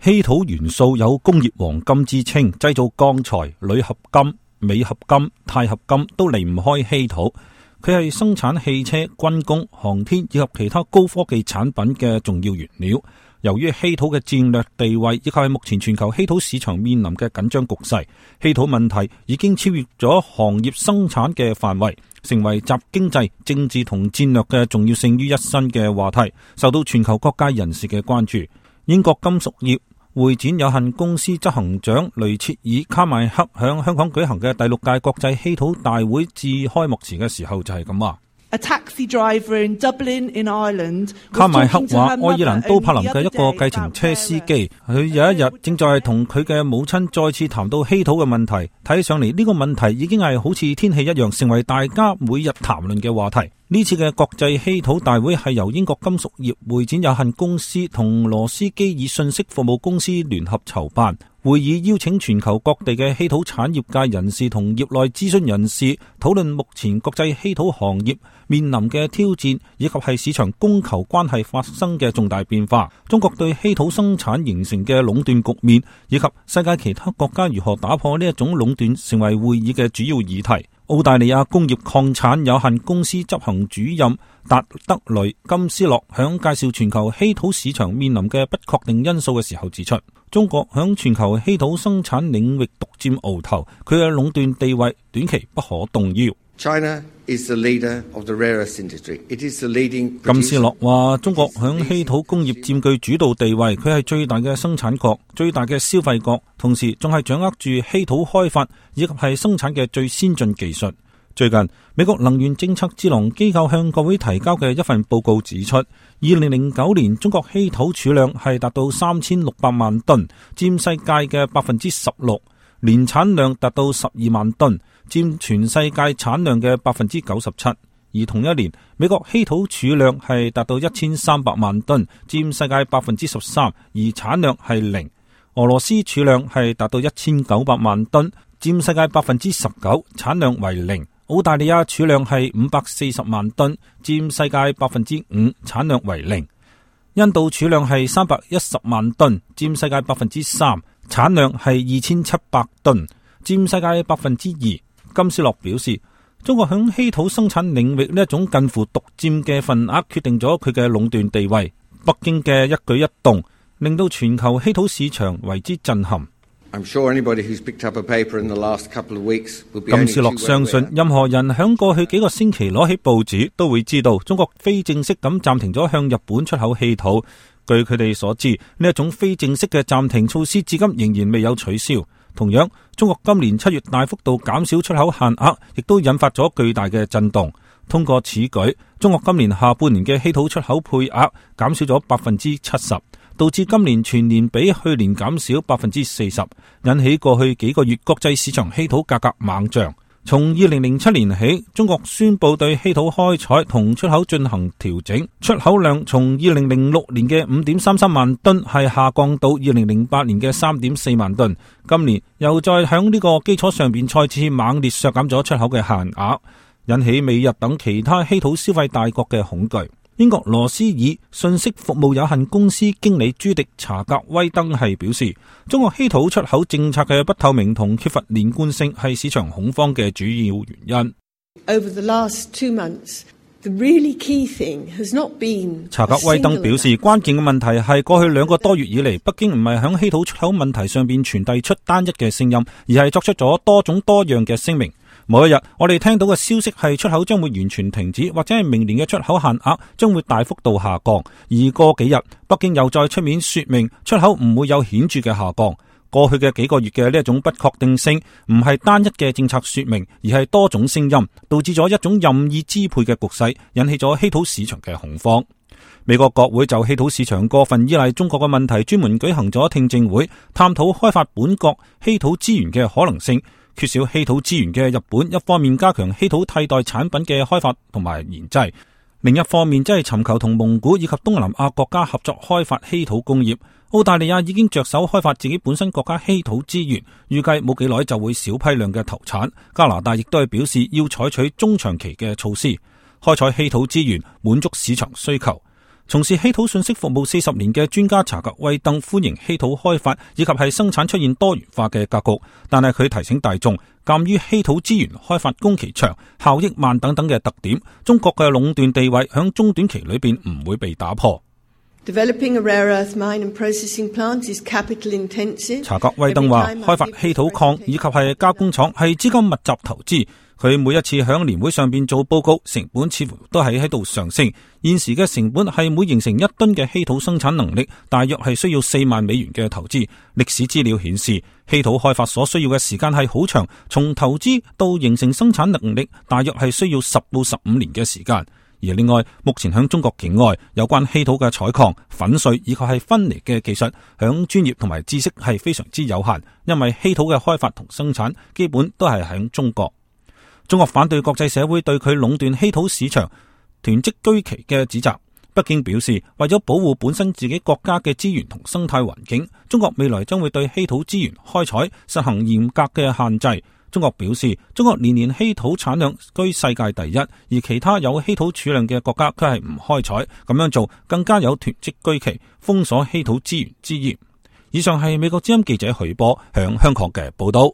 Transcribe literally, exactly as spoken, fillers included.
稀土元素有工業黃金之稱，製造鋼材、鋁合金、鎂合金、鈦合金都離唔開稀土。佢係生產汽車、軍工、航天以及其他高科技產品嘅重要原料。由於稀土嘅戰略地位以及係目前全球稀土市場面臨嘅緊張局勢，稀土問題已經超越咗行業生產嘅範圍，成為集經濟、政治同戰略嘅重要性於一身嘅話題，受到全球各界人士嘅關注。英國金屬業會展有限公司執行長雷切爾卡邁克響香港舉行嘅第六屆國際稀土大會致開幕詞嘅時候就係咁話。A taxi driver in Dublin in Ireland 卡邁克話，愛爾蘭都柏林嘅一個計程車司機，佢有一日正在同佢嘅母親再次談到稀土嘅問題，睇上嚟呢個問題已經係好似天氣一樣，成為大家每日談論嘅話題。呢次嘅國際稀土大會係由英國金屬業會展有限公司同羅斯基爾信息服務公司聯合籌辦。會議邀請全球各地嘅稀土產業界人士同業內諮詢人士討論目前國際稀土行業面臨嘅挑戰，以及係市場供求關係發生嘅重大變化，中國對稀土生產形成嘅壟斷局面，以及世界其他國家如何打破呢一種壟斷，成為會議嘅主要議題。澳大利亞工業礦產有限公司執行主任達德雷金斯洛響介紹全球稀土市場面臨嘅不確定因素嘅時候指出，中國響全球稀土生產領域獨佔鰲頭，佢嘅壟斷地位短期不可動搖。China is the leader of the rare earth industry. It is the leading producer. 金斯洛話，中國響稀土工業佔據主導地位，佢係最大嘅生產國、最大嘅消費國，同時仲係掌握住稀土開發以及係生產嘅最先進技術。最近，美國能源政策智囊機構向國會提交嘅一份報告指出，二零零九年中國稀土儲量係達到三千六百萬噸，佔世界嘅百分之十六，年產量達到十二萬噸，佔全世界產量嘅百分之九十七。而同一年，美國稀土儲量係達到一千三百萬噸，佔世界百分之十三，而產量係零。俄羅斯儲量係達到一千九百萬噸，佔世界百分之十九，產量為零。澳大利亞儲量係五百四十萬噸，佔世界百分之五，產量為零。印度儲量係三百一十萬噸，佔世界百分之三，產量係二千七百噸，佔世界百分之二。金斯洛表示，中國響稀土生產領域呢一種近乎獨佔嘅份額，決定咗佢嘅壟斷地位。北京嘅一舉一動，令到全球稀土市場為之震撼。I'm sure anybody who's picked up a paper in the last couple of weeks will be 金斯洛相信，任何人響過去幾個星期攞起報紙，都會知道中國非正式咁暫停咗向日本出口稀土。據佢哋所知，呢一種非正式嘅暫停措施至今仍然未有取消。同樣，中國今年七月大幅度減少出口限額，亦都引發咗巨大嘅震動。通過此舉，中國今年下半年嘅稀土出口配額減少咗百分之七十。導致今年全年比去年減少百分之四十，引起過去幾個月國際市場稀土價格猛漲。從二零零七年起，中國宣布對稀土開採同出口進行調整，出口量從二零零六年嘅五點三三萬噸係下降到二零零八年嘅三點四萬噸。今年又再響呢個基礎上邊再次猛烈削減咗出口嘅限額，引起美日等其他稀土消費大國嘅恐懼。英國羅斯爾信息服務有限公司經理朱迪查格威登係表示，中國稀土出口政策嘅不透明同缺乏連貫性係市場恐慌嘅主要原因。Over the last two months, the really key thing has not been。查格威登表示，關鍵嘅問題係過去兩個多月以嚟，北京唔係響稀土出口問題上邊傳遞出單一嘅聲音，而係作出咗多種多樣嘅聲明。某一日，我哋聽到嘅消息係出口將會完全停止，或者係明年嘅出口限額將會大幅度下降。而過幾日，北京又再出面說明出口唔會有顯著嘅下降。過去嘅幾個月嘅呢一種不確定性，唔係單一嘅政策說明，而係多種聲音，導致咗一種任意支配嘅局勢，引起咗稀土市場嘅恐慌。美國國會就稀土市場過分依賴中國嘅問題，專門舉行咗聽證會，探討開發本國稀土資源嘅可能性。缺少稀土資源嘅日本，一方面加強稀土替代產品嘅開發同埋研製，另一方面即係尋求同蒙古以及東南亞國家合作開發稀土工業。澳大利亞已經着手開發自己本身國家稀土資源，預計冇幾耐就會小批量嘅投產。加拿大亦都係表示要採取中長期嘅措施，開採稀土資源，滿足市場需求。從事稀土信息服務四十年嘅專家查格威登歡迎稀土開發以及係生產出現多元化嘅格局，但係佢提醒大眾，鑒於稀土資源開發工期長、效益慢等等嘅特點，中國嘅壟斷地位響中短期裏邊唔會被打破。Developing a rare earth mine and processing plant is capital intensive. 查格威登話，開發稀土礦以及係加工廠係資金密集投資。佢每一次響年會上邊做報告，成本似乎都係喺度上升。現時嘅成本係每形成一噸嘅稀土生產能力，大約係需要四萬美元嘅投資。歷史資料顯示，稀土開發所需要嘅時間係好長，從投資到形成生產能力，大約係需要十到十五年嘅時間。而另外，目前響中國境外有關稀土嘅採礦、粉碎以及係分離嘅技術，響專業同埋知識係非常之有限，因為稀土嘅開發同生產基本都係響中國。中國反對國際社會對佢壟斷稀土市場、囤積居奇嘅指責。北京表示，為咗保護本身自己國家嘅資源同生態環境，中國未來將會對稀土資源開採實行嚴格嘅限制。中國表示，中國年年稀土產量居世界第一，而其他有稀土儲量嘅國家卻係唔開採，咁樣做更加有囤積居奇、封鎖稀土資源之嫌。以上係美國之音記者許波響香港嘅報道。